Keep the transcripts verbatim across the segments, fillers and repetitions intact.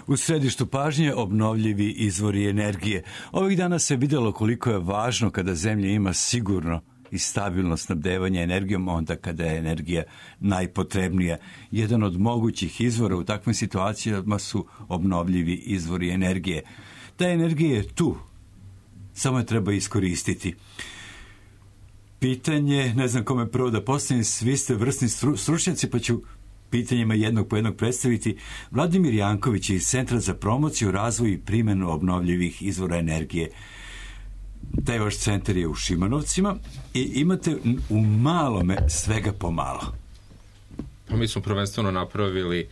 U središtu pažnje obnovljivi izvori energije. Ovih dana se vidjelo koliko je važno kada zemlja ima sigurno i stabilno snabdevanje energijom onda kada je energija najpotrebnija. Jedan od mogućih izvora u takvim situacijama su obnovljivi izvori energije. Ta energija je tu, samo je treba iskoristiti. Pitanje, ne znam kome prvo da postavim, svi ste vrsni stručnjaci, pa ću pitanjima jednog po jednog predstaviti. Vladimir Janković iz Centra za promociju, razvoj i primjenu obnovljivih izvora energije. Taj vaš centar je u Šimanovcima i imate u malome svega pomalo. Mi smo prvenstveno napravili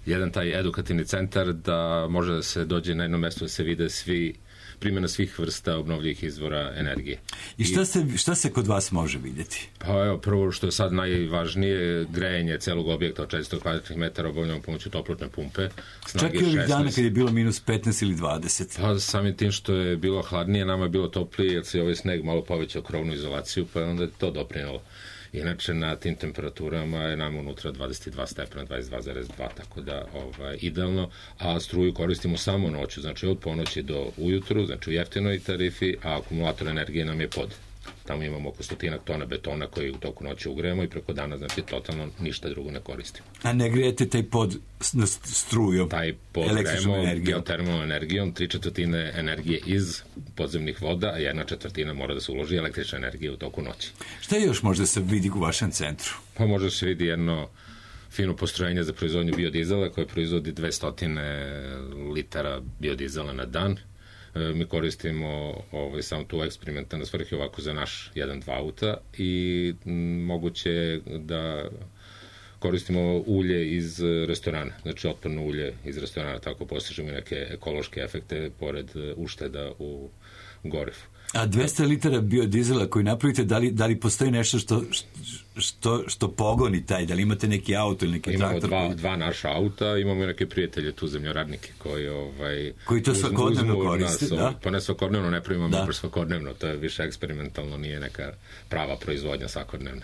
jedan taj edukativni centar da može da se dođe na jedno mesto da se vide svi primjena svih vrsta obnovljivih izvora energije. I šta se, šta se kod vas može vidjeti? Pa evo, prvo što je sad najvažnije, grejanje celog objekta od četiristo kvadratnih metara obavljamo pomoću toplotne pumpe. Čak i ovih dana kad je bilo minus petnaest ili dvadeset. Pa samim tim što je bilo hladnije, nama je bilo toplije, jer se ovaj sneg malo povećao krovnu izolaciju, pa je onda to doprinalo. Inače, na tim temperaturama je nam unutra dvadeset dva stepena, dvadeset dva zarez dva, tako da ovaj, idealno, a struju koristimo samo noću, znači od ponoći do ujutru, znači u jeftinoj tarifi, a akumulator energije nam je pod. Tamo imamo oko stotinak tona betona koji u toku noći ugrejemo i preko dana, znači, totalno ništa drugo ne koristimo. A ne grijete taj pod strujom? Taj pod grejemo geotermalnom energijom, tri četvrtine energije iz podzemnih voda, a jedna četvrtina mora da se uloži električna energija u toku noći. Šta još možda se vidi u vašem centru? Pa možda se vidi jedno fino postrojenje za proizvodnju biodizela koje proizvodi dvesta litara biodizela na dan. Mi koristimo ovaj, samo tu eksperimentalne svrhe ovako za naš jedan dva auta i m, moguće je da koristimo ulje iz restorana, znači otporno ulje iz restorana, tako postižemo neke ekološke efekte pored ušteda u gorivu. A dvesta litara biodizela koji napravite, da li, da li postoji nešto što, što, što pogoni taj, da li imate neki auto ili neki imamo traktor? Imamo dva, dva naša auta, imamo i neke prijatelje tu, zemljoradnike koji, ovaj, koji to svakodnevno koriste, da? Pa ne svakodnevno, ne pravimo mi baš svakodnevno, to je više eksperimentalno, nije neka prava proizvodnja svakodnevna.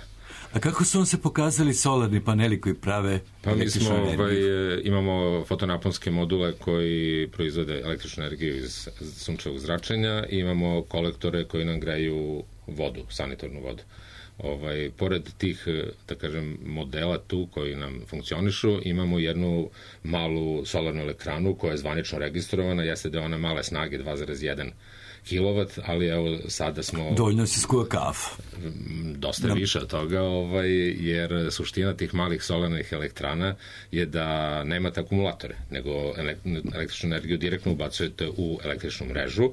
A kako su vam se pokazali solarni paneli koji prave pa mi smo, ovaj, imamo fotonaponske module koji proizvode električnu energiju iz sunčevog zračenja i imamo kolektore koji nam greju vodu, sanitarnu vodu. Ovaj, pored tih, da kažem, modela tu koji nam funkcionišu, imamo jednu malu solarnu elektranu koja je zvanično registrovana, jeste da je ona male snage dva zarez jedan kilovat, ali evo sada smo... Dovoljno si skuva kafu. Dosta no. više od toga, ovaj, jer suština tih malih solarnih elektrana je da nemate akumulatore, nego električnu energiju direktno ubacujete u električnu mrežu,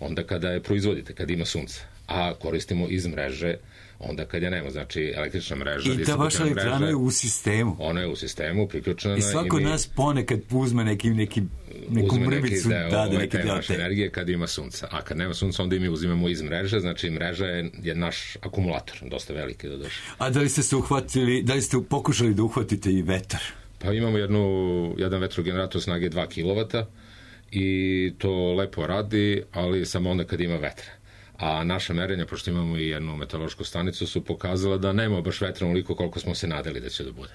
onda kada je proizvodite, kada ima sunce, a koristimo iz mreže onda kad je nema, znači električna mreža. I ta vaša elektrana je u sistemu. Ona je u sistemu, priključena. I svako od nas ponekad uzme neki, neki, neku mrvicu, deo, da, da, neki deo naše energije kad ima sunca. A kad nema sunca, onda i mi uzimamo iz mreže, znači mreža je, je naš akumulator, dosta veliki da došli. A da li ste se uhvatili, da li ste pokušali da uhvatite i vetar? Pa imamo jednu, jedan vetrogenerator snage dva kilovata i to lepo radi, ali samo onda kad ima vetra. A naša merenja, pošto imamo i jednu meteorološku stanicu, su pokazala da nema baš vetra onoliko koliko smo se nadali da će da bude.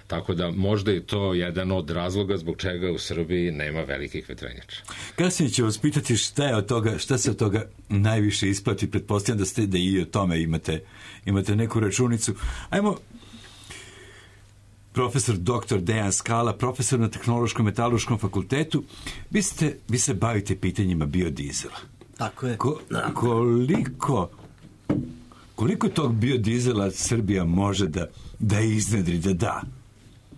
Tako da možda je to jedan od razloga zbog čega u Srbiji nema velikih vetrenjača. Kasnije ću vas pitati šta je od toga, šta se od toga najviše isplati, pretpostavljam da ste da i o tome imate, imate neku računicu. Ajmo, profesor doktor Dejan Skala, profesor na Tehnološkom metalurškom fakultetu, vi, ste, vi se bavite pitanjima biodizela. Tako je. Ko, koliko, koliko tog biodizela Srbija može da, da iznedri, da da?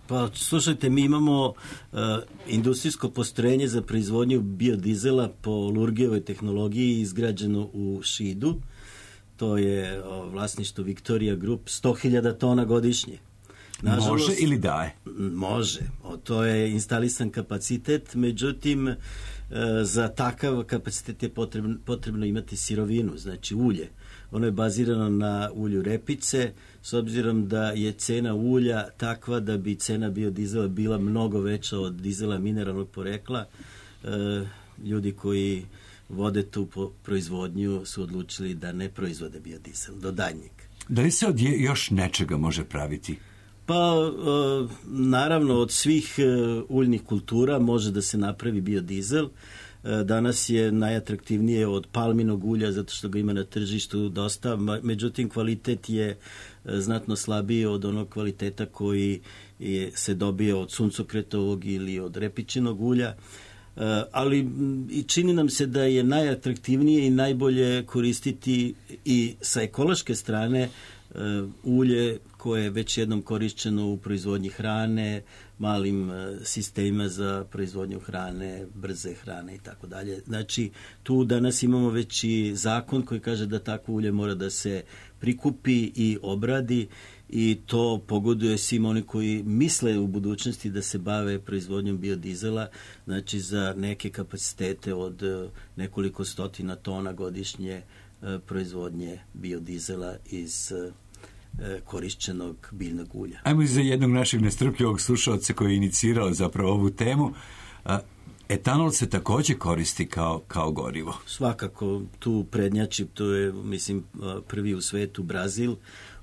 Pa, slušajte, mi imamo uh, industrijsko postrojenje za proizvodnju biodizela po Lurgijevoj tehnologiji izgrađeno u Šidu. To je uh, vlasništvo Victoria Group, sto hiljada tona godišnje. Nažalost, može ili daje? Može. O, to je instalisan kapacitet, međutim, e, za takav kapacitet je potrebno, potrebno imati sirovinu, znači ulje. Ono je bazirano na ulju repice, s obzirom da je cena ulja takva da bi cena biodizela bila mnogo veća od dizela mineralnog porekla. E, ljudi koji vode tu proizvodnju su odlučili da ne proizvode biodizel do danjeg. Da li se od još nečega može praviti Pa, naravno, od svih uljnih kultura može da se napravi biodizel. Danas je najatraktivnije od palminog ulja zato što ga ima na tržištu dosta, međutim kvalitet je znatno slabiji od onog kvaliteta koji je, se dobije od suncokretovog ili od repičinog ulja. Ali i čini nam se da je najatraktivnije i najbolje koristiti i sa ekološke strane ulje koje je već jednom korišćeno u proizvodnji hrane, malim sistemima za proizvodnju hrane, brze hrane i tako dalje. Znači, tu danas imamo već i zakon koji kaže da takvo ulje mora da se prikupi i obradi i to pogoduje svim oni koji misle u budućnosti da se bave proizvodnjom biodizela, znači za neke kapacitete od nekoliko stotina tona godišnje proizvodnje biodizela iz korišćenog biljnog ulja. Ajmo i za jednog našeg nestrpljivog slušalca koji je inicirao zapravo ovu temu. Etanol se također koristi kao, kao gorivo. Svakako, tu prednjači, to je, mislim, prvi u svetu Brazil.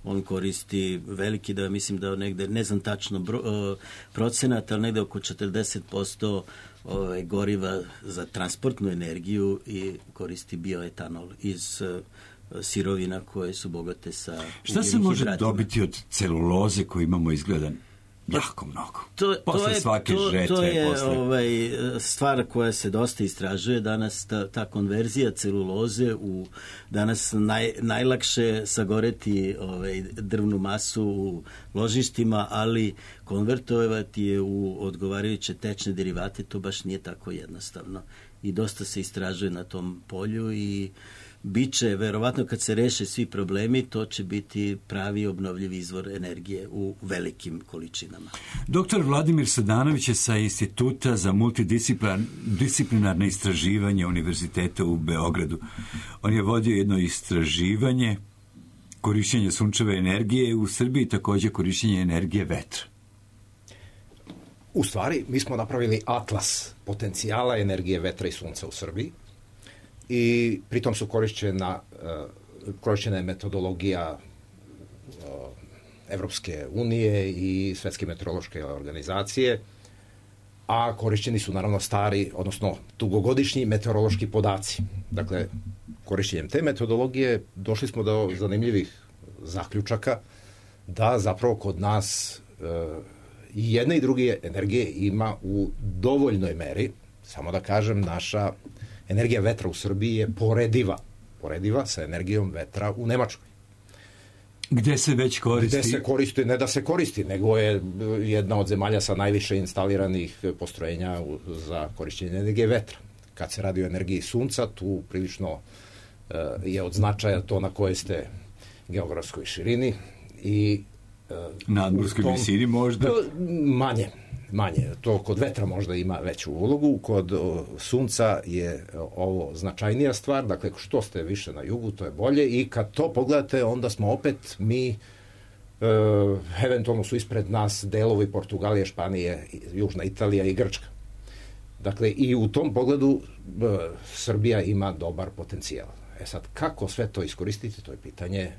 On koristi veliki, da mislim da negde, ne znam tačno bro, procenat, ali negde oko četrdeset posto ove, goriva za transportnu energiju i koristi bioetanol iz sirovina koje su bogate sa ugljenim hidratima. Šta se može dobiti od celuloze koju imamo izgledan jako mnogo? To, posle to je, svake to, žetve. To je posle... ovaj, stvar koja se dosta istražuje danas, ta, ta konverzija celuloze u danas naj, najlakše sagoreti ovaj, drvnu masu u ložištima, ali konvertovati je u odgovarajuće tečne derivate, to baš nije tako jednostavno. I dosta se istražuje na tom polju i biće, verovatno kad se reše svi problemi, to će biti pravi obnovljivi izvor energije u velikim količinama. Doktor Vladimir Sadanović je sa Instituta za multidisciplinarne istraživanje Univerziteta u Beogradu. On je vodio jedno istraživanje korišćenja sunčeve energije u Srbiji, također korišćenje energije vetra. U stvari, mi smo napravili atlas potencijala energije vetra i sunca u Srbiji. I pritom su korišćena, korišćena je metodologija Evropske unije i Svetske meteorološke organizacije, a korišćeni su naravno stari, odnosno dugogodišnji meteorološki podaci. Dakle, korišćenjem te metodologije došli smo do zanimljivih zaključaka da zapravo kod nas i jedne i druge energije ima u dovoljnoj meri. Samo da kažem, naša energija vetra u Srbiji je porediva, porediva sa energijom vetra u Nemačkoj. Gde se već koristi? Gde se koristi, ne da se koristi, nego je jedna od zemalja sa najviše instaliranih postrojenja za korišćenje energije vetra. Kad se radi o energiji sunca, tu prilično je od značaja to na kojoj ste geografskoj širini i nadmorskoj visini možda? Manje. Manje. To kod vetra možda ima veću ulogu, kod o, sunca je ovo značajnija stvar, dakle što ste više na jugu, to je bolje i kad to pogledate, onda smo opet mi, e, eventualno su ispred nas delovi Portugalije, Španije, Južna Italija i Grčka. Dakle, i u tom pogledu e, Srbija ima dobar potencijal. E sad, kako sve to iskoristiti, to je pitanje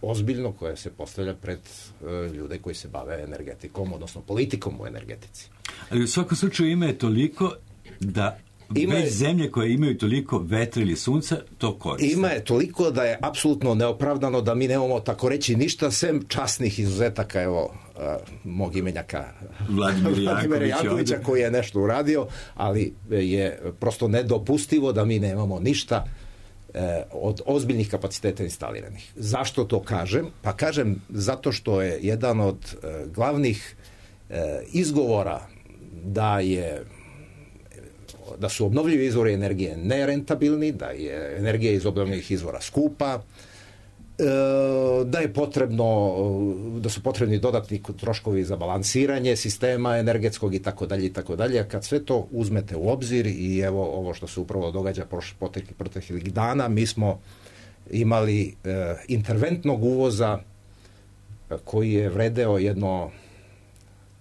ozbiljno koje se postavlja pred uh, ljude koji se bave energetikom, odnosno politikom u energetici. Ali u svakom slučaju ima je toliko da ima već je, zemlje koje imaju toliko vetra ili sunca to koriste. Ima je toliko da je apsolutno neopravdano da mi nemamo tako reći ništa sem časnih izuzetaka, evo, uh, mog imenjaka Vladimira Jankovića koji je nešto uradio, ali je prosto nedopustivo da mi nemamo ništa od ozbiljnih kapaciteta instaliranih. Zašto to kažem? Pa kažem zato što je jedan od e, glavnih e, izgovora da je da su obnovljivi izvori energije nerentabilni, da je energija iz obnovljivih izvora skupa, e, da je potrebno da su potrebni dodatni troškovi za balansiranje sistema energetskog i tako dalje i tako dalje. A kad sve to uzmete u obzir i evo ovo što se upravo događa proteklih dana, mi smo imali e, interventnog uvoza koji je vredeo jedno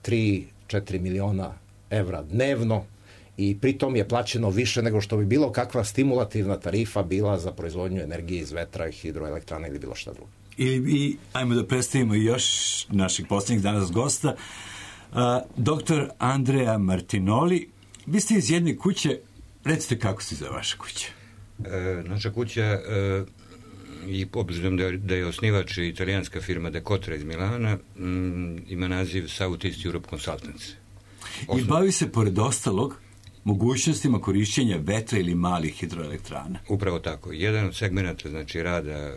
tri do četiri miliona evra dnevno i pritom je plaćeno više nego što bi bilo kakva stimulativna tarifa bila za proizvodnju energije iz vetra, hidroelektrana ili bilo šta drugo. I, i ajmo da predstavimo još naših posljednjih danas gosta. Uh, doktor Andrea Martinoli, vi ste iz jedne kuće, recite kako se zove vaša kuća? E, naša kuća, e, i obzirom da, da je osnivač italijanska firma Decotra iz Milana, m, ima naziv South East Europe Consultants. Osnov... I bavi se, pored ostalog, mogućnostima korišćenja vetra ili malih hidroelektrana. Upravo tako. Jedan od segmenata, znači, rada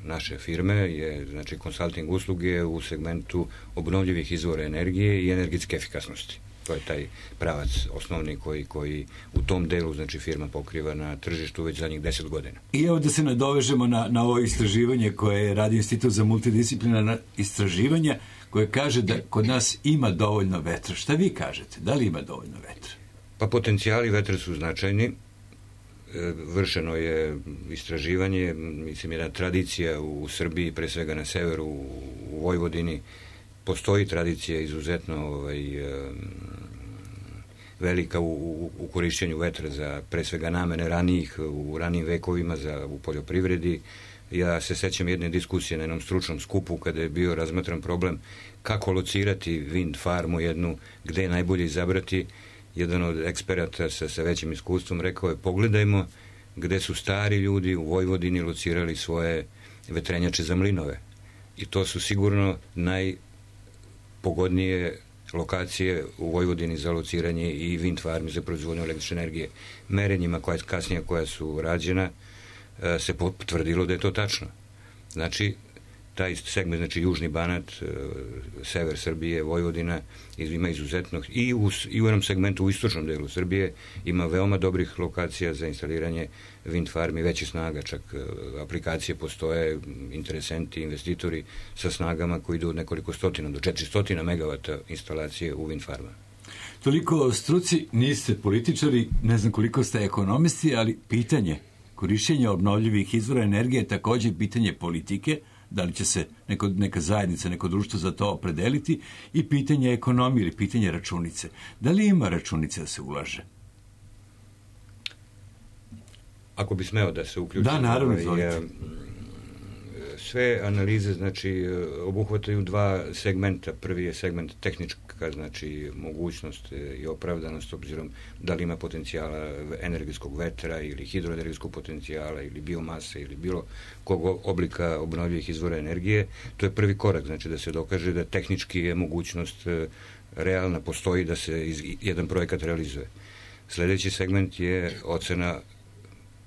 naše firme je, znači, consulting usluge u segmentu obnovljivih izvora energije i energetske efikasnosti. To je taj pravac osnovni koji, koji u tom delu, znači, firma pokriva na tržištu već zadnjih deset godina. I evo da se nadovežemo na, na ovo istraživanje koje radi Institut za multidisciplinarna istraživanja, koje kaže da kod nas ima dovoljno vetra. Šta vi kažete? Da li ima dovoljno vetra? Pa potencijali vetra su značajni. Vršeno je istraživanje, mislim, jedna tradicija u Srbiji, pre svega na severu, u Vojvodini. Postoji tradicija izuzetno ovaj, velika u, u, u korišćenju vetra za pre svega namene ranijih, u ranijim vekovima za, u poljoprivredi. Ja se sećam jedne diskusije na jednom stručnom skupu kada je bio razmatran problem kako locirati wind farmu jednu, gde je najbolje izabrati. Jedan od eksperata sa, sa većim iskustvom rekao je, pogledajmo gde su stari ljudi u Vojvodini locirali svoje vetrenjače za mlinove. I to su sigurno najpogodnije lokacije u Vojvodini za lociranje i wind farmi za proizvodnju električne energije. Merenjima koja kasnije koja su rađena se potvrdilo da je to tačno. Znači, taj segment, znači Južni Banat, sever Srbije, Vojvodina, ima izuzetno, i u, i u jednom segmentu u istočnom delu Srbije ima veoma dobrih lokacija za instaliranje wind farmi, veće snaga, čak aplikacije postoje, interesenti, investitori sa snagama koji idu od nekoliko stotina do četiristo megavata instalacije u wind farma. Toliko o struci, niste političari, ne znam koliko ste ekonomisti, ali pitanje korišćenja obnovljivih izvora energije je također pitanje politike, da li će se neko, neka zajednica, neko društvo za to opredeliti, i pitanje ekonomije ili pitanje računice. Da li ima računice da se ulaže? Ako bi smeo da se uključim. Da, naravno, izvolite. Sve analize, znači, obuhvataju dva segmenta. Prvi je segment tehnička, znači, mogućnost i opravdanost, obzirom da li ima potencijala energetskog vetra ili hidroenergetskog potencijala ili biomase ili bilo kog oblika obnovljivih izvora energije. To je prvi korak, znači, da se dokaže da tehnički je mogućnost realna, postoji da se iz, jedan projekat realizuje. Sledeći segment je ocena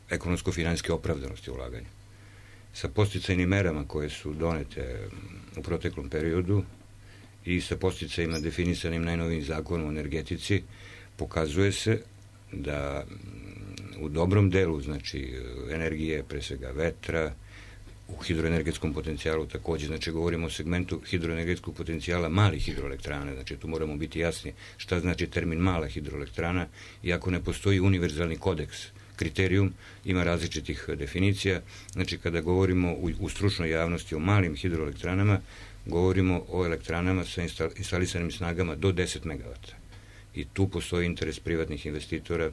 ekonomsko-finansijske opravdanosti ulaganja. Sa podsticajnim merama koje su donete u proteklom periodu i sa podsticajima definisanim najnovijim zakonom o energetici, pokazuje se da u dobrom delu, znači, energije, pre svega vetra, u hidroenergetskom potencijalu takođe, znači, govorimo o segmentu hidroenergetskog potencijala malih hidroelektrana, znači, tu moramo biti jasni šta znači termin mala hidroelektrana, iako ne postoji univerzalni kodeks kriterijum, ima različitih definicija. Znači, kada govorimo u, u stručnoj javnosti o malim hidroelektranama, govorimo o elektranama sa instalisanim snagama do deset megavata. I tu postoji interes privatnih investitora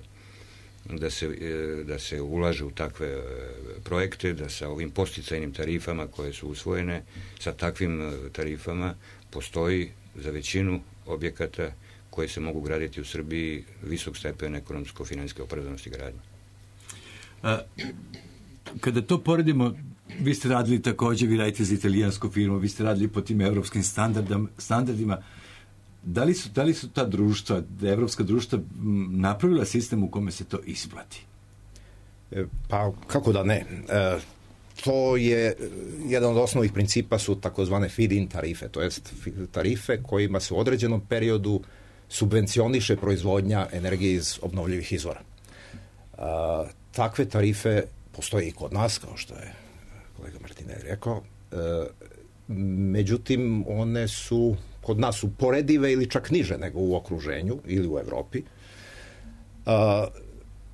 da se, da se ulaže u takve projekte, da sa ovim podsticajnim tarifama koje su usvojene, sa takvim tarifama postoji za većinu objekata koje se mogu graditi u Srbiji visok stepen ekonomsko-finansijske opravdanosti gradnje. A, kada to poredimo, vi ste radili takođe, vi radite za italijansku firmu, vi ste radili po tim evropskim standardima, da li su, da li su ta društva, da evropska društva napravila sistem u kome se to isplati? E, pa, kako da ne? E, to je, jedan od osnovnih principa su takozvane feed-in tarife, to jest tarife kojima se u određenom periodu subvencioniše proizvodnja energije iz obnovljivih izvora. E, takve tarife postoje i kod nas, kao što je kolega Martinelli rekao, e, međutim, one su kod nas uporedive ili čak niže nego u okruženju ili u Evropi.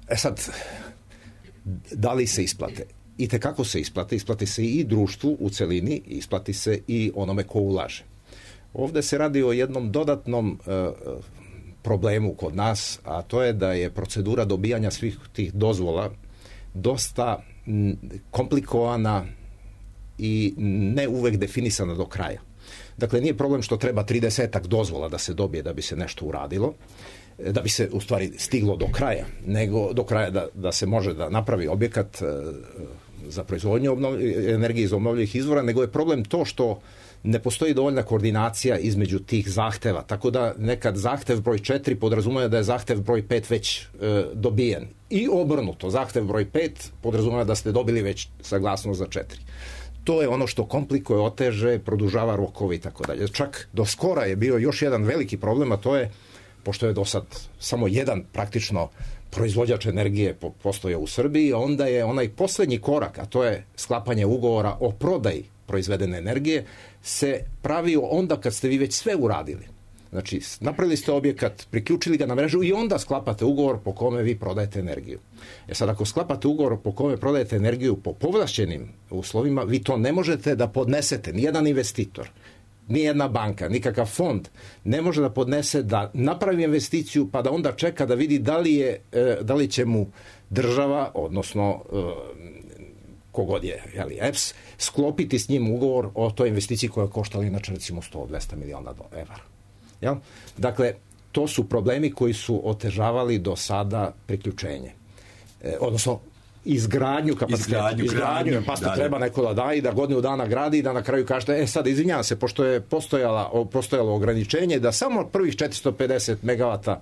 E sad, da li se isplate? I tekako se isplate. Isplati se i društvu u celini, isplati se i onome ko ulaže. Ovde se radi o jednom dodatnom uh, problemu kod nas, a to je da je procedura dobijanja svih tih dozvola dosta m, komplikovana i ne uvek definisana do kraja. Dakle, nije problem što treba tridesetak dozvola da se dobije da bi se nešto uradilo, da bi se u stvari stiglo do kraja, nego do kraja da, da se može da napravi objekat za proizvodnju energije iz obnovljivih izvora, nego je problem to što ne postoji dovoljna koordinacija između tih zahteva, tako da nekad zahtev broj četiri podrazumeva da je zahtev broj pet već e, dobijen. I obrnuto, zahtev broj pet podrazumeva da ste dobili već saglasnost za četiri. To je ono što komplikuje, oteže, produžava rokove i tako dalje. Čak do skora je bio još jedan veliki problem, a to je, pošto je do sad samo jedan praktično proizvođač energije postoje u Srbiji, onda je onaj poslednji korak, a to je sklapanje ugovora o prodaji proizvedene energije, se pravio onda kad ste vi već sve uradili. Znači, napravili ste objekat, priključili ga na mrežu i onda sklapate ugovor po kome vi prodajete energiju. E sad, ako sklapate ugovor po kome prodajete energiju po povlašćenim uslovima, vi to ne možete da podnesete. Nijedan investitor, nijedna banka, nikakav fond ne može da podnese da napravi investiciju pa da onda čeka da vidi da li, je, da li će mu država, odnosno kogod je, jeli, E P S, sklopiti s njim ugovor o toj investiciji koja je koštala inače recimo sto do dvesta miliona evra. Jel? Dakle, to su problemi koji su otežavali do sada priključenje. E, odnosno, izgradnju kapaciteta. Izgradnju, izgradnju pa da, treba neko da da i da godinu dana gradi i da na kraju kažete, e sad izvinjavam se, pošto je postojala, postojalo ograničenje da samo prvih četiristo pedeset megavata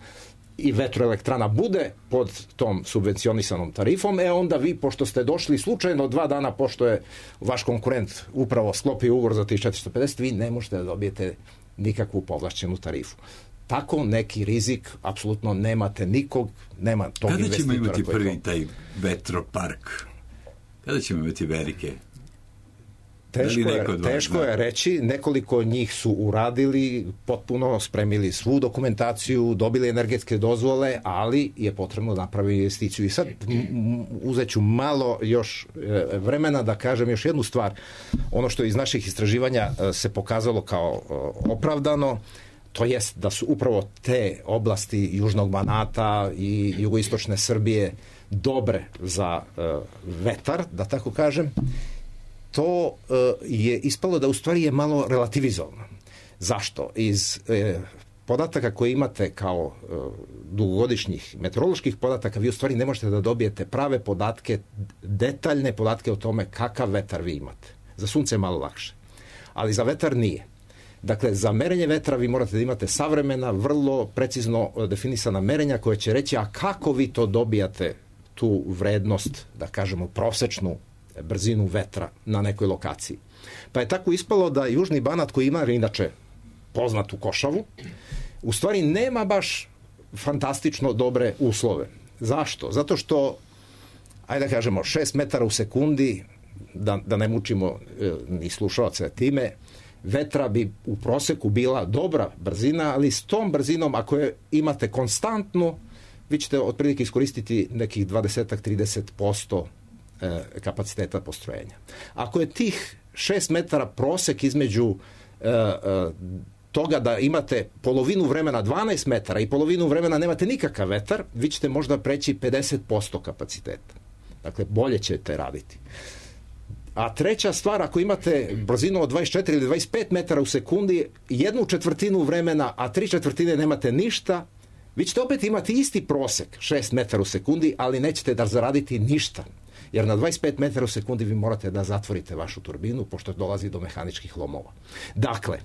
i vetroelektrana bude pod tom subvencionisanom tarifom, e onda vi, pošto ste došli slučajno dva dana pošto je vaš konkurent upravo sklopio ugovor za tih četiristo pedeset, vi ne možete da dobijete nikakvu povlašćenu tarifu. Tako neki rizik apsolutno nemate nikog, nema tog Kada investitora. Kada ćemo imati prvi to... taj vetropark? Kada ćemo imati velike? Teško, je, teško je reći, nekoliko njih su uradili, potpuno spremili svu dokumentaciju, dobili energetske dozvole, ali je potrebno napraviti investiciju. I sad uzet ću malo još vremena da kažem još jednu stvar. Ono što iz naših istraživanja se pokazalo kao opravdano, to jest da su upravo te oblasti Južnog Banata i jugoistočne Srbije dobre za vetar, da tako kažem. To uh, je ispalo da u stvari je malo relativizovano. Zašto? Iz eh, podataka koje imate kao uh, dugogodišnjih meteoroloških podataka, vi u stvari ne možete da dobijete prave podatke, detaljne podatke o tome kakav vetar vi imate. Za sunce je malo lakše, ali za vetar nije. Dakle, za merenje vetra vi morate da imate savremena, vrlo precizno definisana merenja koja će reći, a kako vi to dobijate tu vrednost, da kažemo, prosečnu brzinu vetra na nekoj lokaciji. Pa je tako ispalo da Južni Banat, koji ima inače poznatu košavu, u stvari nema baš fantastično dobre uslove. Zašto? Zato što, ajde da kažemo, šest metara u sekundi, da, da ne mučimo e, ni slušalce time, vetra bi u proseku bila dobra brzina, ali s tom brzinom, ako je imate konstantno, vi ćete otprilike iskoristiti nekih dvadeset do trideset posto kapaciteta postrojenja. Ako je tih šest metara prosek između e, e, toga da imate polovinu vremena dvanaest metara i polovinu vremena nemate nikakav vetar, vi ćete možda preći pedeset posto kapaciteta. Dakle, bolje ćete raditi. A treća stvar, ako imate brzinu od dvadeset četiri ili dvadeset pet metara u sekundi, jednu četvrtinu vremena, a tri četvrtine nemate ništa, vi ćete opet imati isti prosek, šest metara u sekundi, ali nećete da zaraditi ništa. Jer na dvadeset pet metara u sekundi vi morate da zatvorite vašu turbinu, pošto dolazi do mehaničkih lomova. Dakle,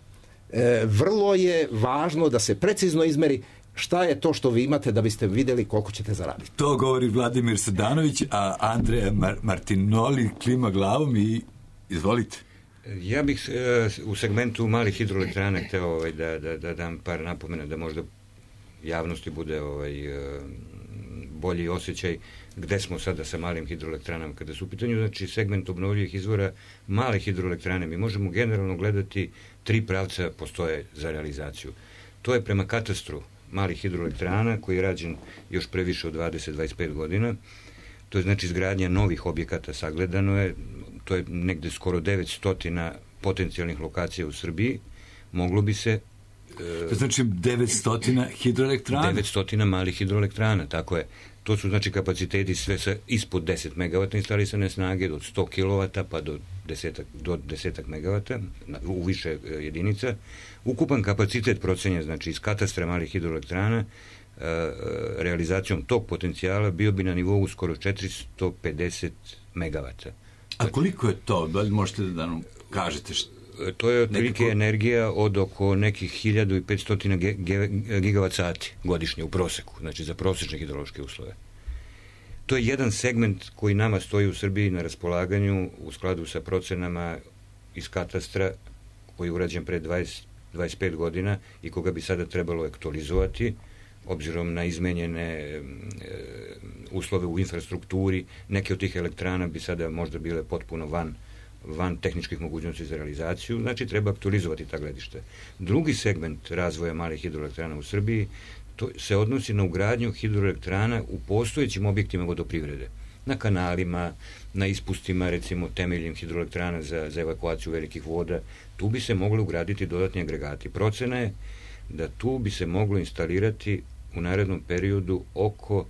e, vrlo je važno da se precizno izmeri šta je to što vi imate da biste vidjeli koliko ćete zaraditi. To govori Vladimir Sadanović, a Andreja Mar- Martinoli klima glavom i izvolite. Ja bih e, u segmentu malih hidroelektrana hteo ovaj, da, da, da dam par napomena da možda javnosti bude ovaj, e, bolji osjećaj gde smo sada sa malim hidroelektranama. Kada su u pitanju, znači, segment obnovljivih izvora male hidroelektrane, mi možemo generalno gledati tri pravca postoje za realizaciju. To je prema katastru malih hidroelektrana koji je rađen još previše od dvadeset do dvadeset pet godina. To je znači izgradnja novih objekata, sagledano je, to je negde skoro devetsto potencijalnih lokacija u Srbiji. Moglo bi se To znači devetsto hidroelektrana? devetsto malih hidroelektrana, tako je. To su znači kapaciteti sve sa ispod deset megavata instalisane snage, od sto kilovata pa do desetak, do desetak megavata u više jedinica. Ukupan kapacitet procenjen, znači iz katastra malih hidroelektrana, realizacijom tog potencijala bio bi na nivou skoro četiristo pedeset megavata. A koliko je to? Da li možete da nam kažete što? To je otprilike nekako energija od oko nekih hiljadu petsto gigavat sati godišnje u proseku, znači za prosječne hidrološke uslove. To je jedan segment koji nama stoji u Srbiji na raspolaganju u skladu sa procenama iz katastra koji je urađen pre dvadeset do dvadeset pet godina i koga bi sada trebalo aktualizovati obzirom na izmenjene e, uslove u infrastrukturi. Neke od tih elektrana bi sada možda bile potpuno van van tehničkih mogućnosti za realizaciju, znači treba aktualizovati ta gledišta. Drugi segment razvoja malih hidroelektrana u Srbiji to se odnosi na ugradnju hidroelektrana u postojećim objektima vodoprivrede, na kanalima, na ispustima, recimo temeljnim hidroelektrana za, za evakuaciju velikih voda. Tu bi se mogli ugraditi dodatni agregati. Procena je da tu bi se moglo instalirati u narednom periodu oko,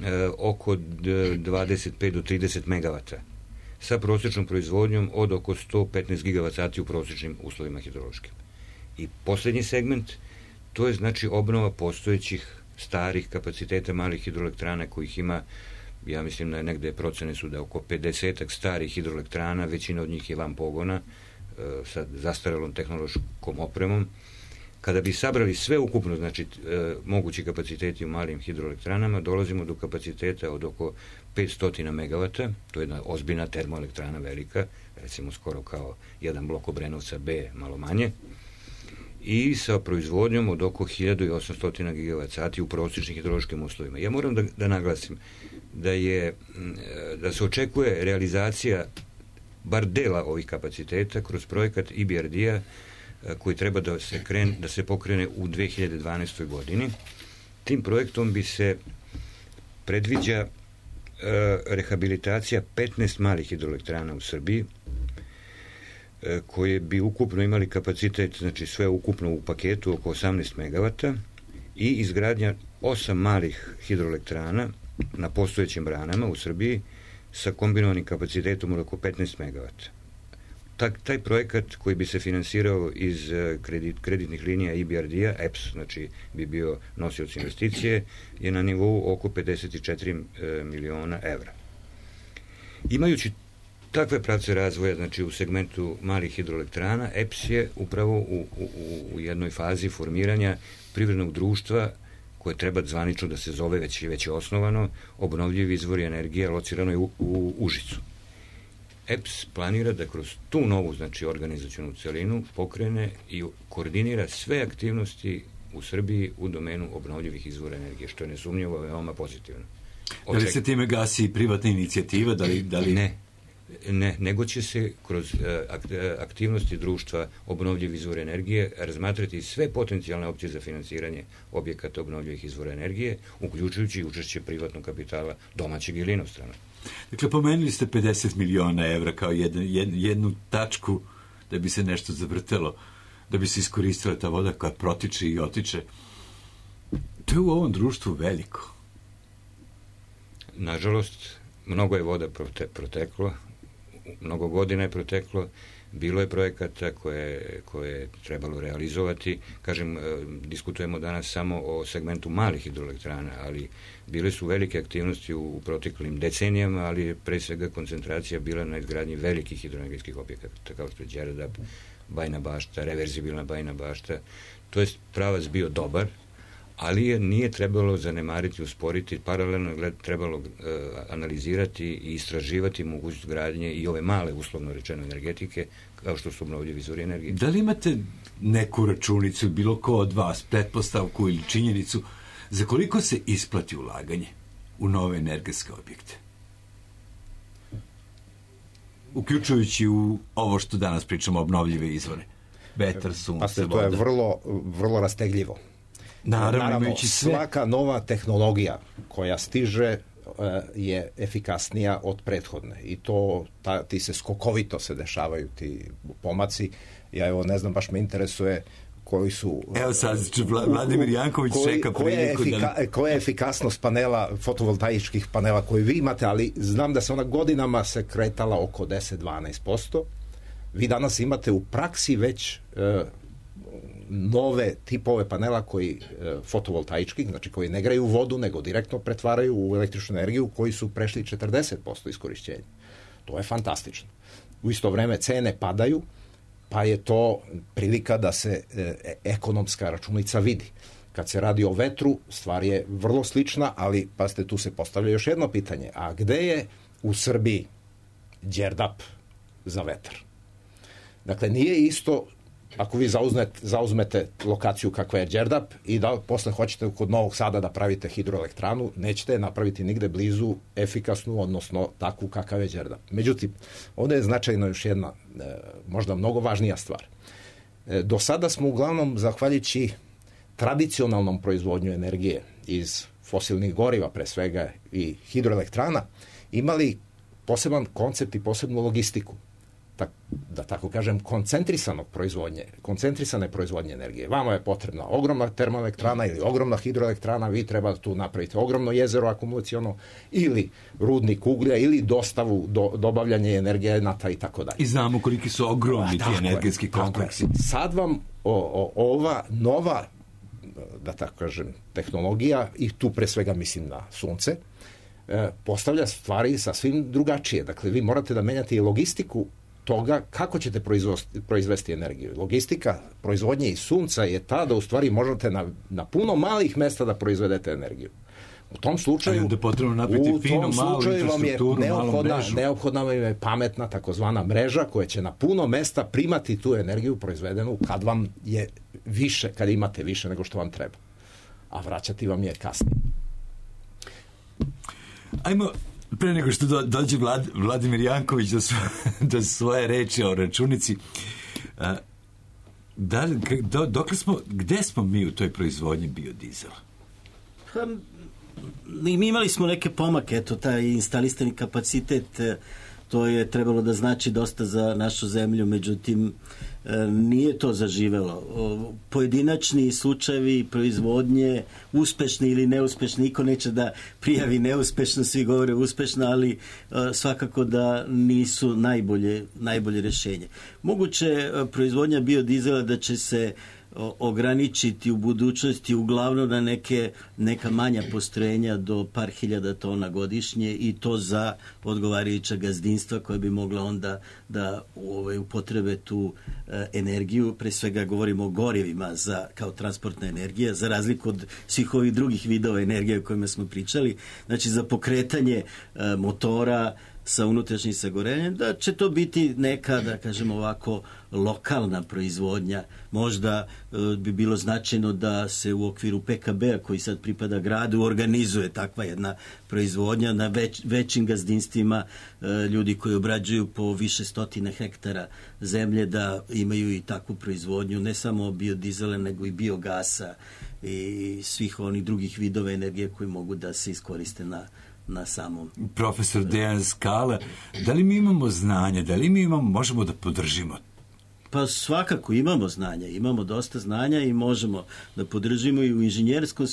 e, oko dvadeset pet do trideset megavata sa prosječnom proizvodnjom od oko sto petnaest gigavat sati u prosječnim uslovima hidrološkim. I posljednji segment, to je znači obnova postojećih starih kapaciteta malih hidroelektrana kojih ima, ja mislim da negde procene su da oko pedesetak starih hidroelektrana, većina od njih je van pogona, e, sa zastarelom tehnološkom opremom. Kada bi sabrali sve ukupno, znači e, mogući kapaciteti u malim hidroelektranama, dolazimo do kapaciteta od oko petsto megavata, to je jedna ozbiljna termoelektrana velika, recimo skoro kao jedan blok Obrenovca B, malo manje, i sa proizvodnjom od oko hiljadu osamsto gigavat sati u prosječnim hidrološkim uslovima. Ja moram da, da naglasim da je da se očekuje realizacija bar dela ovih kapaciteta kroz projekat I B R D-a koji treba da se, kren, da se pokrene u dve hiljade dvanaestoj godini. Tim projektom bi se predviđa e, rehabilitacija petnaest malih hidroelektrana u Srbiji, e, koje bi ukupno imali kapacitet, znači sve ukupno u paketu oko osamnaest megavata i izgradnja osam malih hidroelektrana na postojećim branama u Srbiji sa kombinovanim kapacitetom od oko petnaest megavata. Ta, taj projekat koji bi se finansirao iz kredit, kreditnih linija I B R D-a, E P S, znači bi bio nosioc investicije, je na nivou oko pedeset četiri e, miliona evra. Imajući takve pravce razvoja, znači u segmentu malih hidroelektrana, E P S je upravo u, u, u jednoj fazi formiranja privrednog društva koje treba zvanično da se zove, već, već je osnovano, obnovljivi izvori energije, locirano je u, u Užicu. E P S planira da kroz tu novu, znači organizacionu celinu, pokrene i koordinira sve aktivnosti u Srbiji u domenu obnovljivih izvora energije, što je nesumnjivo veoma pozitivno. Da li se time gasi i privatna inicijativa? Da li, da li... Ne, ne, nego će se kroz uh, aktivnosti društva obnovljivi izvora energije razmatrati sve potencijalne opcije za finansiranje objekata obnovljivih izvora energije, uključujući učešće privatnog kapitala domaćeg ili inostranog. Dakle, pomenuli ste pedeset miliona evra kao jednu, jednu tačku da bi se nešto zavrtelo, da bi se iskoristila ta voda koja protiče i otiče. To je u ovom društvu veliko. Nažalost, mnogo je voda prote, proteklo, mnogo godina je proteklo, bilo je projekata koje, koje je trebalo realizovati. Kažem, diskutujemo danas samo o segmentu malih hidroelektrana, ali bile su velike aktivnosti u, u proteklim decenijama, ali je pre svega koncentracija bila na izgradnji velikih hidroenergetskih objekata, kao što je Đerdap, Bajna Bašta, reverzibilna Bajna Bašta. To je pravac bio dobar, ali je nije trebalo zanemariti, usporiti, paralelno je trebalo uh, analizirati i istraživati mogućnost gradnje i ove male, uslovno rečeno, energetike, kao što su obnovljivi izvori energije. Da li imate neku računicu, bilo ko od vas, pretpostavku ili činjenicu, za koliko se isplati ulaganje u nove energetske objekte? Uključujući u ovo što danas pričamo, obnovljive izvore. Vetar, sunce, voda. To je vrlo, vrlo rastegljivo. Naravno, Naravno sve... svaka nova tehnologija koja stiže je efikasnija od prethodne i to ta, ti se skokovito se dešavaju ti pomaci. Ja evo ne znam, baš me interesuje koji su... Evo sad, Vladimir Janković koji, čeka priliku koja, efika, da... koja je efikasnost panela, fotovoltaičkih panela koji vi imate, ali znam da se ona godinama se kretala oko deset do dvanaest posto. Vi danas imate u praksi već e, nove tipove panela koji e, fotovoltaički, znači koji ne graju vodu, nego direktno pretvaraju u električnu energiju, koji su prešli četrdeset posto iskorišćenja. To je fantastično. U isto vreme cene padaju, pa je to prilika da se e, ekonomska računica vidi. Kad se radi o vetru, stvar je vrlo slična, ali pazite, tu se postavlja još jedno pitanje. A gde je u Srbiji Đerdap za vetar? Dakle, nije isto ako vi zauzmete, zauzmete lokaciju kakva je Đerdap i da posle hoćete kod Novog Sada da pravite hidroelektranu, nećete je napraviti nigde blizu efikasnu, odnosno takvu kakav je Đerdap. Međutim, ovde je značajno još jedna, možda mnogo važnija stvar. Do sada smo uglavnom, zahvaljujući tradicionalnom proizvodnju energije iz fosilnih goriva, pre svega i hidroelektrana, imali poseban koncept i posebnu logistiku. Tak, da tako kažem, koncentrisanog proizvodnje, koncentrisane proizvodnje energije. Vama je potrebna ogromna termoelektrana ili ogromna hidroelektrana, vi treba tu napraviti ogromno jezero akumulaciono ili rudnik uglja ili dostavu, do, dobavljanje energenata i tako dalje. I znamo koliki su ogromni ti energetski kompleksi. Sad vam o, o, ova nova, da tako kažem, tehnologija, i tu pre svega mislim na sunce, e, postavlja stvari sasvim drugačije. Dakle, vi morate da menjate i logistiku toga kako ćete proizvesti energiju. Logistika proizvodnje iz sunca je ta da u stvari možete na, na puno malih mesta da proizvedete energiju. U tom slučaju, da potrebno napraviti u finu, tom slučaju vam je neophodna, mrežu. neophodna vam je pametna takozvana mreža koja će na puno mesta primati tu energiju proizvedenu kad vam je više, kad imate više nego što vam treba. A vraćati vam je kasnije. Ajmo, pre nego što do, dođe Vlad, Vladimir Janković do, svo, do svoje reči o računici, a, da, do, dokle smo, gde smo mi u toj proizvodnji biodizela? Pa, mi imali smo neke pomake, eto, taj instalisani kapacitet, to je trebalo da znači dosta za našu zemlju, međutim, nije to zaživelo. Pojedinačni slučajevi proizvodnje, uspešni ili neuspešni, niko neće da prijavi neuspešno, svi govore uspešno, ali svakako da nisu najbolje, najbolje rešenje. Moguće proizvodnja biodizela da će se ograničiti u budućnosti uglavnom na neke, neka manja postrojenja do par hiljada tona godišnje i to za odgovarajuća gazdinstva koja bi mogla onda da ovaj, upotrebe tu e, energiju, pre svega govorimo o gorivima za, kao transportna energija, za razliku od svih ovih drugih vidova energije o kojima smo pričali, znači za pokretanje e, motora sa unutrašnjim sagorenjem, da će to biti neka, da kažemo ovako, lokalna proizvodnja. Možda e, bi bilo značajno da se u okviru P K B-a koji sad pripada gradu organizuje takva jedna proizvodnja na već, većim gazdinstvima, e, ljudi koji obrađuju po više stotine hektara zemlje, da imaju i takvu proizvodnju, ne samo biodizela nego i biogasa i svih onih drugih vidova energije koji mogu da se iskoriste na na samom. Profesor Dejan Skala, da li mi imamo znanje, da li mi imamo, možemo da podržimo? Pa svakako imamo znanja, imamo dosta znanja i možemo da podržimo i u inženjerskom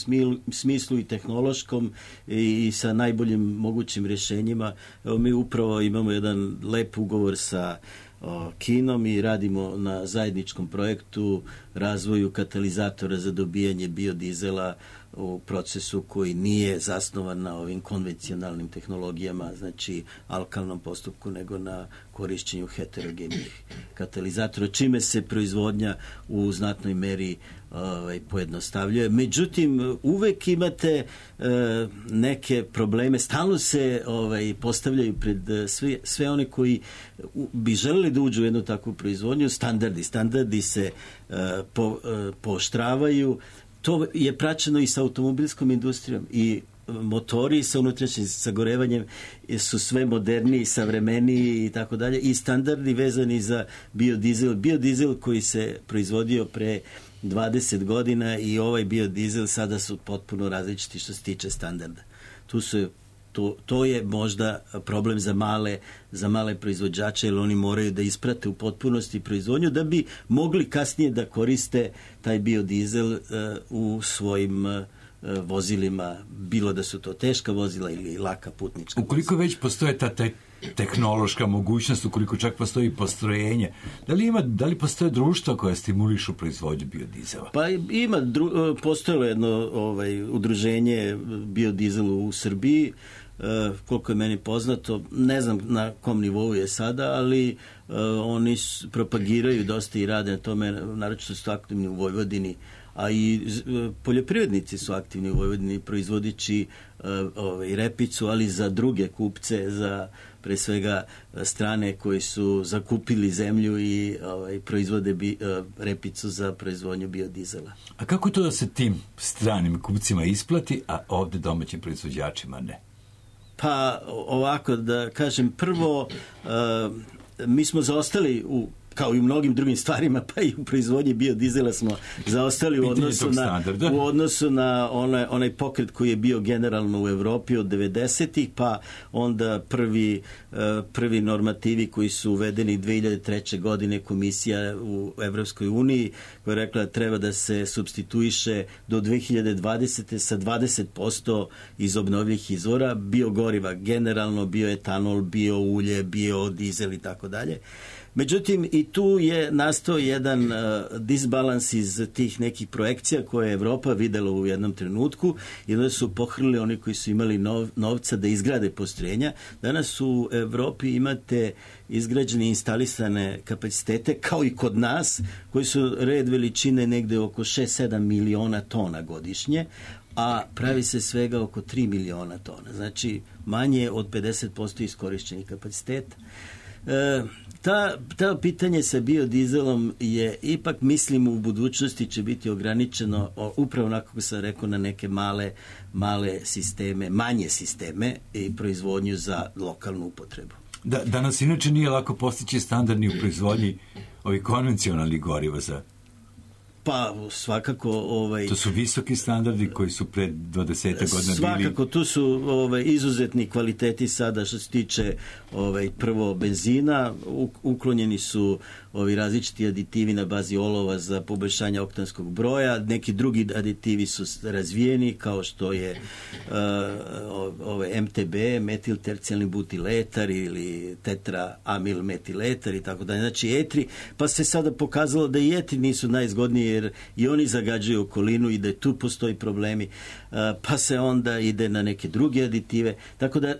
smislu i tehnološkom i sa najboljim mogućim rješenjima. Evo, mi upravo imamo jedan lep ugovor sa o, Kinom i radimo na zajedničkom projektu razvoju katalizatora za dobijanje biodizela u procesu koji nije zasnovan na ovim konvencionalnim tehnologijama, znači alkalnom postupku, nego na korišćenju heterogenih katalizatora, čime se proizvodnja u znatnoj meri ovaj, pojednostavljuje. Međutim, uvek imate e, neke probleme, stalno se ovaj, postavljaju pred sve, sve one koji u, bi želeli da uđu u jednu takvu proizvodnju, standardi. Standardi se e, po, e, pooštravaju. To je praćeno i sa automobilskom industrijom i motori sa unutrašnjim sagorevanjem su sve moderniji, savremeniji i tako dalje i standardi vezani za biodizel. Biodizel koji se proizvodio pre dvadeset godina i ovaj biodizel sada su potpuno različiti što se tiče standarda. Tu su To, to je možda problem za male, za male proizvođače, jer oni moraju da isprate u potpunosti proizvodnju da bi mogli kasnije da koriste taj biodizel uh, u svojim uh, vozilima, bilo da su to teška vozila ili laka putnička vozila. Ukoliko već postoje ta te tehnološka mogućnost, ukoliko čak postoji postrojenje, da li ima, da li postoje društva koja stimulišu proizvodnju biodizela? Pa ima, dru, postojalo jedno ovaj, udruženje biodizelu u Srbiji, uh, koliko je meni poznato, ne znam na kom nivou je sada, ali uh, oni propagiraju dosta i rade na tome, naročito su aktivni u Vojvodini, a i poljoprivrednici su aktivni u Vojvodini proizvodići uh, ovaj, repicu, ali za druge kupce, za pre svega strane koji su zakupili zemlju i ovaj, proizvode bi, uh, repicu za proizvodnju biodizela. A kako to da se tim stranim kupcima isplati, a ovde domaćim proizvođačima ne? Pa ovako da kažem, prvo uh, mi smo zaostali u kao i u mnogim drugim stvarima, pa i u proizvodnji biodizela smo zaostali u odnosu na, u odnosu na onaj, onaj pokret koji je bio generalno u Evropi od devedesetih, pa onda prvi, prvi normativi koji su uvedeni dve hiljade treće. godine, komisija u Evropskoj uniji koja je rekla da treba da se supstituiše do dve hiljade dvadesete. sa dvadeset posto iz obnovljivih izvora biogoriva, generalno bioetanol, bioulje, biodizel i tako dalje. Međutim, i tu je nastao jedan uh, disbalans iz tih nekih projekcija koje je Evropa videla u jednom trenutku i onda su pohrlili oni koji su imali nov, novca da izgrade postrojenja. Danas u Evropi imate izgrađene instalisane kapacitete, kao i kod nas, koji su red veličine negde oko šest sedam miliona tona godišnje, a pravi se svega oko tri miliona tona. Znači, manje od pedeset posto iskorišćenih kapaciteta. E, ta, ta pitanje sa biodizelom je ipak, mislim, u budućnosti će biti ograničeno o, upravo onako kako sam rekao na neke male, male sisteme, manje sisteme i proizvodnju za lokalnu upotrebu. Da, danas inače nije lako postići standardni u proizvodnji ovih konvencionalnih goriva za... Pa svakako ovaj to su visoki standardi koji su pre dvadeset godina bili. Svakako tu su ovaj izuzetni kvaliteti sada što se tiče ovaj prvo benzina, uklonjeni su ovi različiti aditivi na bazi olova za poboljšanje oktanskog broja, neki drugi aditivi su razvijeni kao što je uh, ovaj M T B, metiltercijalni butiletar ili tetraamil metiletar i tako dalje. Znači etri, pa se sada pokazalo da i etri nisu najzgodniji jer i oni zagađuju okolinu i da tu postoji problemi, pa se onda ide na neke druge aditive. Tako da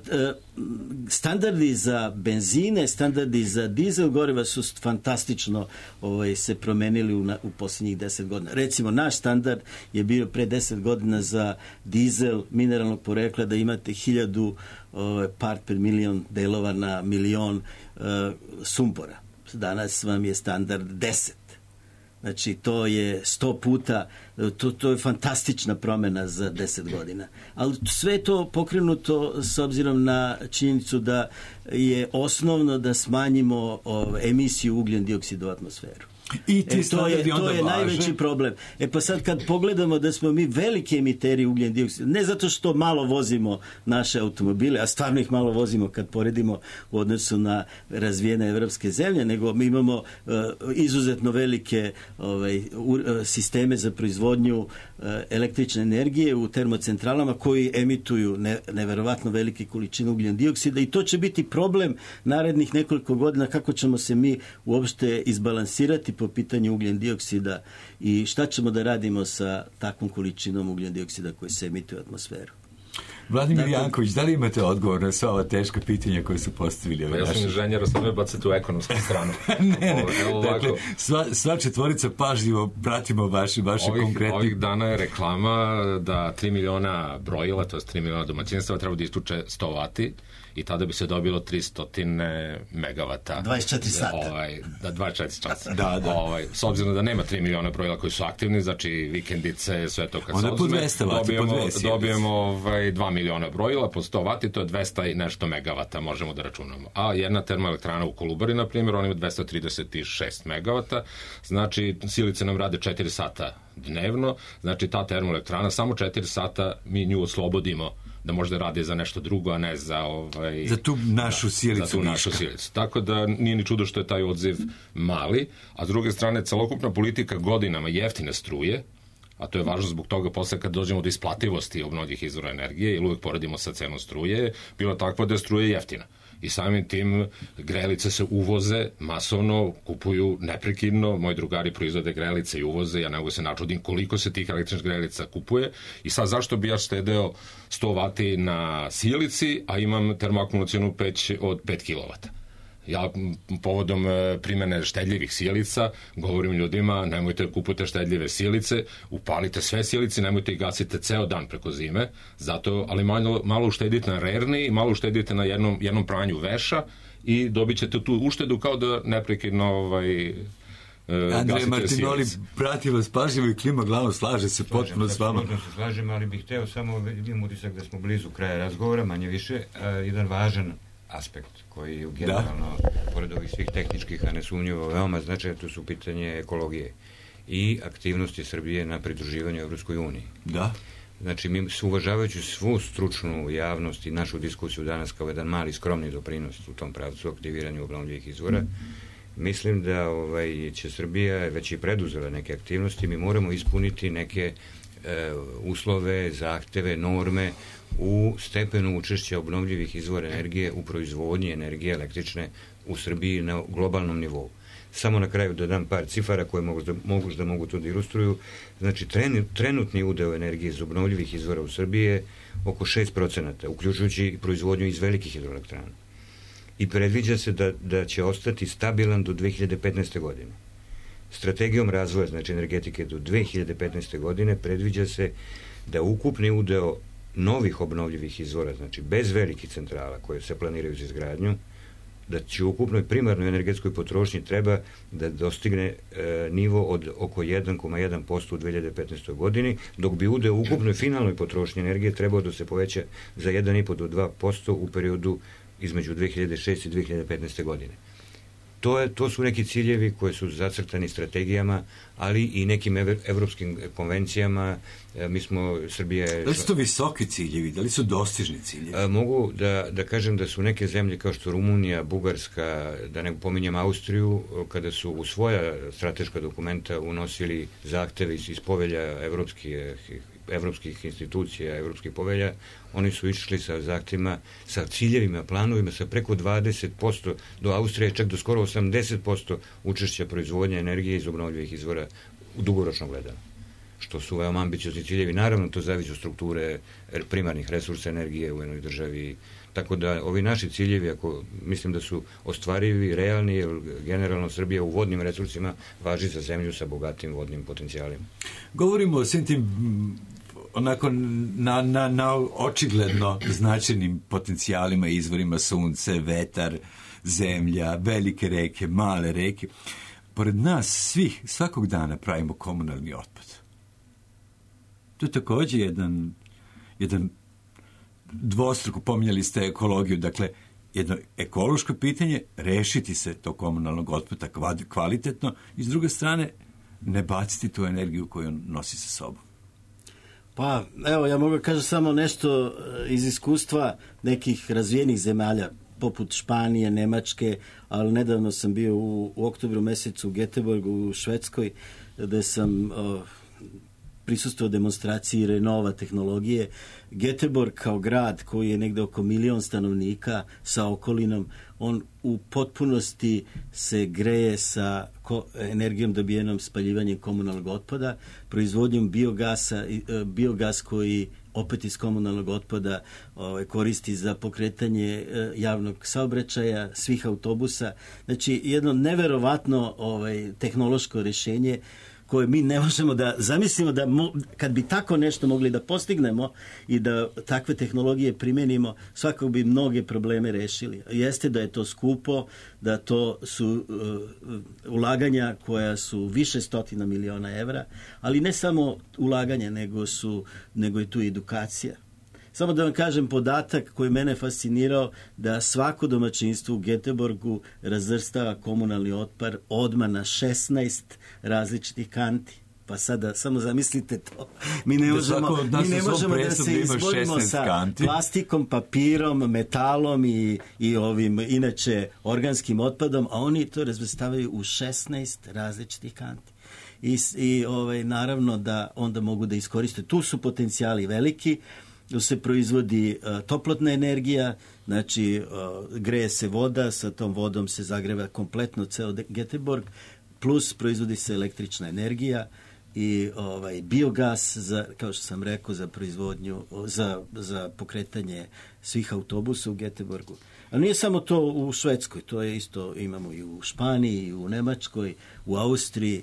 standardi za benzine, standardi za dizel goriva su fantastično ovaj, se promenili u, na, u posljednjih deset godina. Recimo, naš standard je bio pre deset godina za dizel mineralnog porekla da imate hiljadu ovaj, part per milion delova na milion uh, sumpora. Danas vam je standard deset. Znači, to je sto puta, to, to je fantastična promjena za deset godina. Ali sve to pokrenuto s obzirom na činjenicu da je osnovno da smanjimo o, emisiju ugljen dioksida u atmosferu. I ti e, to je, to je najveći problem. E pa sad kad pogledamo da smo mi veliki emiteri ugljen dioksida, ne zato što malo vozimo naše automobile, a stvarno ih malo vozimo kad poredimo u odnosu na razvijene evropske zemlje, nego mi imamo uh, izuzetno velike ovaj, uh, sisteme za proizvodnju uh, električne energije u termocentralama koji emituju ne, neverovatno velike količine ugljen dioksida i to će biti problem narednih nekoliko godina kako ćemo se mi uopšte izbalansirati po pitanju ugljen dioksida i šta ćemo da radimo sa takvom količinom ugljen dioksida koji se emituje u atmosferu. Vladimir dakle, Janković, da li imate odgovor na sva ova teška pitanja koje su postavili? Pa ja sam inženjer, sad me bacate u ekonomsku stranu. ne, ne, Ovo, dakle, sva, sva četvorica pažljivo pratimo vaše, vaše ovih, konkretne... Ovih dana je reklama da tri miliona brojila, to je tri miliona domaćinstva, treba da istuče sto vati i tada bi se dobilo tristo megavata. dvadeset četiri sata. Ovaj, da, dvadeset četiri časa. da, da. Ovaj, s obzirom da nema tri miliona brojila koji su aktivni, znači vikendice, sve to kad onda se ozme, dobijemo, dvesta, dobijemo ovaj, dva miliona brojila po sto vati, to je dvesta i nešto megavata, možemo da računamo. A jedna termoelektrana u Kolubari, na primjer, ona ima dvesta trideset šest megavata, znači silice nam rade četiri sata dnevno, znači ta termoelektrana samo četiri sata mi nju oslobodimo da možda rade za nešto drugo, a ne za ovaj... Za tu našu silicu. Da, za tu našu silicu. Tako da nije ni čudo što je taj odziv mali, a s druge strane celokupna politika godinama jeftine struje, a to je važno zbog toga posle kad dođemo do isplativosti obnovljivih izvora energije, ili uvek poredimo sa cenom struje, bila takva da je struje jeftina. I samim tim grelice se uvoze masovno, kupuju neprekidno, moji drugari proizvode grelice i uvoze, ja ne mogu se načudim koliko se tih električnih grelica kupuje i sad zašto bi ja štedeo sto vati na sijalici, a imam termoakumulacionu peć od pet kilovata. Ja povodom primene štedljivih sijalica govorim ljudima, nemojte kupujte štedljive sijalice, upalite sve sijalice, nemojte ih gasite ceo dan preko zime, zato, ali malo, malo uštedite na rerni, malo uštedite na jednom, jednom pranju veša i dobit ćete tu uštedu kao da neprekidno ovaj, Andrej Martinoli prati vas pažljivo i klima glavom, slaže se potpuno s vama. Slažem se, slažem, ali bih hteo samo, imam utisak da smo blizu kraja razgovora, manje više, jedan važan aspekt koji je generalno, da, pored ovih svih tehničkih, a nesumnjivo veoma značajan, to su pitanje ekologije i aktivnosti Srbije na pridruživanju Evropskoj uniji. Da. Znači, mi uvažavajući svu stručnu javnost i našu diskusiju danas kao jedan mali skromni doprinos u tom pravcu aktiviranju obnovljivih izvora, mm. mislim da ovaj, će Srbija već i preduzela neke aktivnosti, mi moramo ispuniti neke e, uslove, zahteve, norme u stepenu učešća obnovljivih izvora energije u proizvodnji energije električne u Srbiji na globalnom nivou. Samo na kraju da dam par cifara koje mogu da mogu, da mogu to da ilustruju. Znači, tren, trenutni udeo energije iz obnovljivih izvora u Srbiji je oko šest procenata, uključujući i proizvodnju iz velikih hidroelektrana. I predviđa se da, da će ostati stabilan do dve hiljade petnaeste. godine. Strategijom razvoja, znači energetike, do dve hiljade petnaeste. godine predviđa se da ukupni udeo novih obnovljivih izvora, znači bez velikih centrala koje se planiraju za izgradnju, da će u ukupnoj primarnoj energetskoj potrošnji treba da dostigne e, nivo od oko jedan zarez jedan posto u dve hiljade petnaestoj. godini, dok bi udeo u ukupnoj finalnoj potrošnji energije trebao da se poveća za jedan zarez pet do dva posto u periodu između dve hiljade šeste i dve hiljade petnaeste. godine. To, je, to su neki ciljevi koji su zacrtani strategijama, ali i nekim ev, evropskim konvencijama. E, mi smo, Srbija je... Da li su to visoki ciljevi? Da li su dostižni ciljevi? A, mogu da, da kažem da su neke zemlje kao što Rumunija, Bugarska, da ne pominjem Austriju, kada su u svoja strateška dokumenta unosili zahteve iz, iz povelja evropskih evropskih institucija, evropskih povelja, oni su išli sa zahtjevima, sa ciljevima, planovima, sa preko dvadeset posto, do Austrije čak do skoro osamdeset posto učešća proizvodnje energije iz obnovljivih izvora u dugoročno gledano. Što su veoma ambiciozni ciljevi. Naravno, to zavisi od strukture primarnih resursa energije u jednoj državi. Tako da, ovi naši ciljevi, ako mislim da su ostvarivi, realni, jer generalno Srbija u vodnim resursima važi za zemlju sa bogatim vodnim potencijalima. Govorimo o svim tim onako na, na, na očigledno značajnim potencijalima, izvorima sunce, vetar, zemlja, velike reke, male reke. Pored nas svih, svakog dana pravimo komunalni otpad. To je također jedan, jedan dvostruko, pominjali ste ekologiju, dakle, jedno ekološko pitanje, rešiti se to komunalnog otpada kvalitetno i s druge strane ne baciti tu energiju koju on nosi sa sobom. Pa, evo, ja mogu kažem samo nešto iz iskustva nekih razvijenih zemalja, poput Španije, Nemačke, ali nedavno sam bio u, u oktobru mesecu u Göteborgu u Švedskoj, gde sam uh, prisustvovao demonstraciji Renova tehnologije. Göteborg kao grad koji je negde oko milion stanovnika sa okolinom, on u potpunosti se greje sa ko, energijom dobijenom spaljivanjem komunalnog otpada, proizvodnjom biogasa, biogas koji opet iz komunalnog otpada ovaj, koristi za pokretanje eh, javnog saobraćaja, svih autobusa. Znači, jedno neverovatno ovaj, tehnološko rješenje koje mi ne možemo da zamislimo da mo, kad bi tako nešto mogli da postignemo i da takve tehnologije primenimo, svakako bi mnoge probleme rešili. Jeste da je to skupo, da to su uh, ulaganja koja su više stotina miliona evra, ali ne samo ulaganja, nego, su, nego je tu edukacija. Samo da vam kažem podatak koji mene fascinirao, da svako domaćinstvo u Göteborgu razvrstava komunalni otpad odmah na šesnaest različitih kanti. Pa sada samo zamislite to. Mi ne možemo da, mi ne možemo da se izborimo sa kanti. Plastikom, papirom, metalom i, i ovim inače organskim otpadom, a oni to razvrstavaju u šesnaest različitih kanti. I, i ovaj, naravno da onda mogu da iskoriste. Tu su potencijali veliki, tu se proizvodi uh, toplotna energija, znači uh, greje se voda, sa tom vodom se zagreva kompletno ceo Göteborg, plus proizvodi se električna energija i ovaj biogas za, kao što sam rekao, za proizvodnju, za, za pokretanje svih autobusa u Göteborgu. Ali nije samo to u Švedskoj, to je isto imamo i u Španiji, i u Nemačkoj, u Austriji.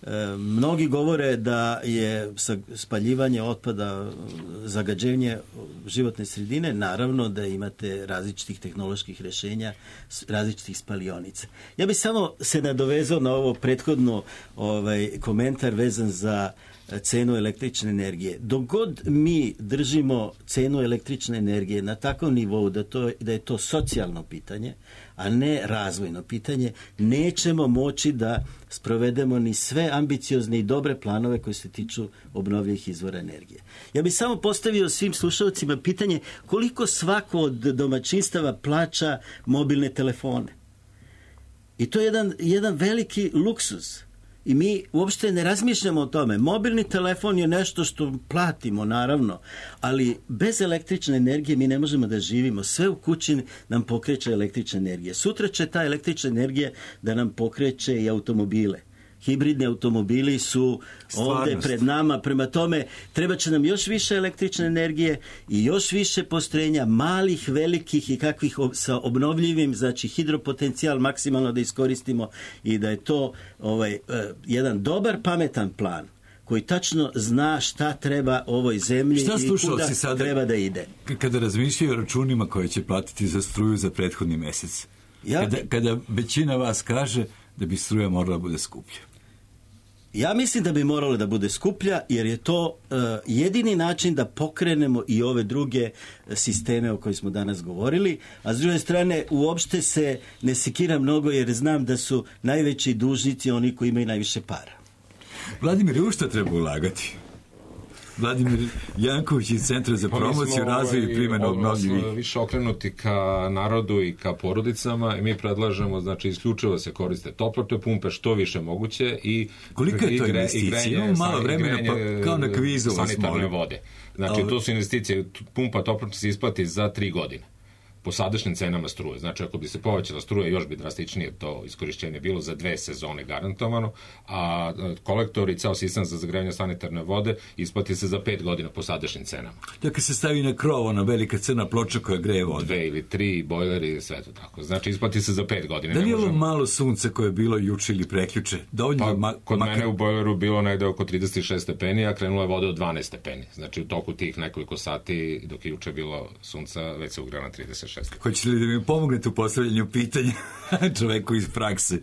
E, mnogi govore da je spaljivanje otpada zagađenje životne sredine, naravno da imate različitih tehnoloških rješenja, različitih spalionica. Ja bih samo se nadovezao na ovo prethodno ovaj, komentar vezan za cenu električne energije. Dok god mi držimo cenu električne energije na takvom nivou da, to, da je to socijalno pitanje, a ne razvojno pitanje, nećemo moći da sprovedemo ni sve ambiciozne i dobre planove koji se tiču obnovljivih izvora energije. Ja bih samo postavio svim slušalcima pitanje koliko svako od domaćinstava plaća mobilne telefone. I to je jedan, jedan veliki luksuz. I mi uopšte ne razmišljamo o tome. Mobilni telefon je nešto što platimo, naravno, ali bez električne energije mi ne možemo da živimo. Sve u kući nam pokreće električna energija. Sutra će ta električna energija da nam pokreće i automobile. Hibridni automobili su ovdje pred nama, prema tome treba će nam još više električne energije i još više postrojenja, malih, velikih i kakvih sa obnovljivim, znači hidropotencijal maksimalno da iskoristimo i da je to ovaj, jedan dobar, pametan plan koji tačno zna šta treba ovoj zemlji i kuda sada, treba da ide. Kada razmišljaju o računima koje će platiti za struju za prethodni mesec, ja, kada, kada većina vas kaže da bi struja morala bude skuplja. Ja mislim da bi moralo da bude skuplja, jer je to uh, jedini način da pokrenemo i ove druge sisteme o kojima smo danas govorili, a s druge strane uopšte se ne sekira mnogo, jer znam da su najveći dužnici oni koji imaju najviše para. Vladimir, u što treba ulagati? Vladimir Janković iz Centra za promociju, razvoj i primjenu obnovljivih. Više okrenuti ka narodu i ka porodicama i mi predlažemo, znači, isključivo se koriste toplotne pumpe što više moguće i kolika je to investicija? Imamo malo vremena, pa kao na kvizu vas molim. Vode. Znači, to su investicije, pumpa toplotne se isplati za tri godine. Po sadašnjim cenama struje. Znači, ako bi se povećala struja, još bi drastičnije to iskorišćenje bilo za dve sezone garantovano, a kolektor i ceo sistem za zagrevanje sanitarne vode isplati se za pet godina po sadašnjim cenama. Dakle, se stavi na krov, ona velika crna ploča koja greje vodu. Dve ili tri, bojleri, sve to tako. Znači, isplati se za pet godina. Da li je ovo malo sunca koje je bilo juče ili preključe? Pa, ma- kod makar... mene u bojleru bilo negde oko trideset šest stepeni, a krenula je voda od dvanaest stepeni. Znači, u toku tih nekoliko sati, dok je juče bilo sunca, već se ugrela na trideset šest. Hoćete li da mi pomognete u postavljanju pitanja čoveku iz prakse?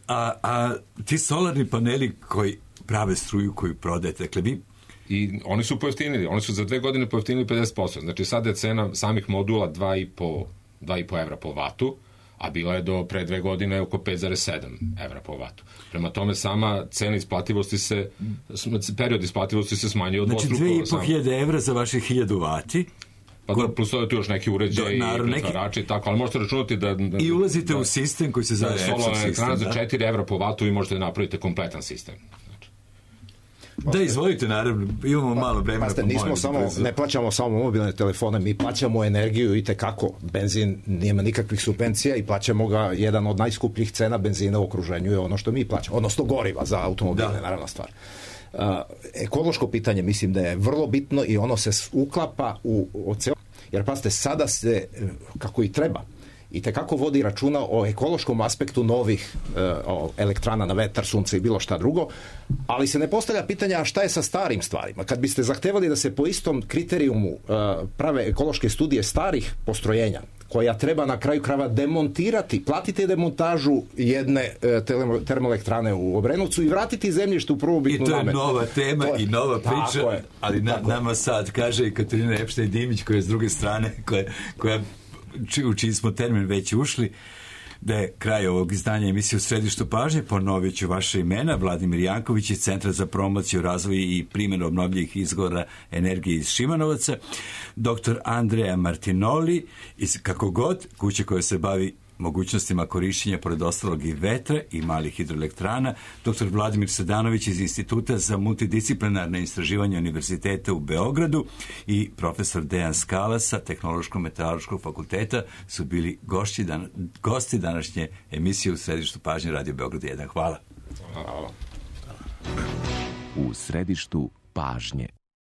A, a ti solarni paneli koji prave struju koju prodajete, dakle vi... I oni su pojeftinili, oni su za dve godine pojeftinili pedeset posto. Znači sada je cena samih modula dva i po evra po vatu, a bila je do pre dve godine oko pet zarez sedam evra po vatu. Prema tome sama cena isplativosti se, period isplativosti se smanjuje od dvostruko. Znači dve i po hiljade evra za vaše hiljadu vati. Pa da, plus to je tu još neki uređaj i pretvarači i tako, ali možete računati da... da I ulazite da, u sistem koji se zove da, Epson sistem. Solarna za četiri evra po vatu i možete da napravite kompletan sistem. Znači. Da, izvolite, naravno, imamo malo vremena. Paste, nismo samo, ne plaćamo samo mobilne telefone, mi plaćamo energiju i tekako. Benzin nema nikakvih subvencija i plaćamo ga, jedan od najskupljih cena benzina u okruženju je ono što mi plaćamo, odnosno goriva za automobile, da. Naravna stvar. Uh, ekološko pitanje mislim da je vrlo bitno i ono se uklapa u, u ceo, jer pazite, sada se, kako i treba, i tekako vodi računa o ekološkom aspektu novih uh, elektrana na vetar, sunce i bilo šta drugo, ali se ne postavlja pitanja a šta je sa starim stvarima. Kad biste zahtevali da se po istom kriterijumu uh, prave ekološke studije starih postrojenja, koja treba na kraju krava demontirati, platite demontažu jedne uh, termoelektrane u Obrenovcu i vratiti zemljište u prvobitnu namenu. I to je nova tema je, i nova priča, je, ali na, nama sad kaže i Katarina Epštajn-Dimić koja je s druge strane, koja, koja u čiji smo termin već ušli. da je kraj ovog izdanja emisije U središtu pažnje. Ponovit ću vaše imena: Vladimir Janković iz Centra za promociju, razvoj i primjenu obnovljivih izvora energije iz Šimanovaca, doktor Andrea Martinoli iz Kako god, kuće koja se bavi mogućnostima korišćenja pored ostalog i vetra i malih hidroelektrana, doktor Vladimir Sadanović iz Instituta za multidisciplinarne istraživanja Univerziteta u Beogradu i profesor Dejan Skala sa Tehnološko-meteorološkog fakulteta su bili gošći dan, gosti današnje emisije U središtu pažnje Radio Beograd jedan. Hvala. Hvala. U središtu pažnje.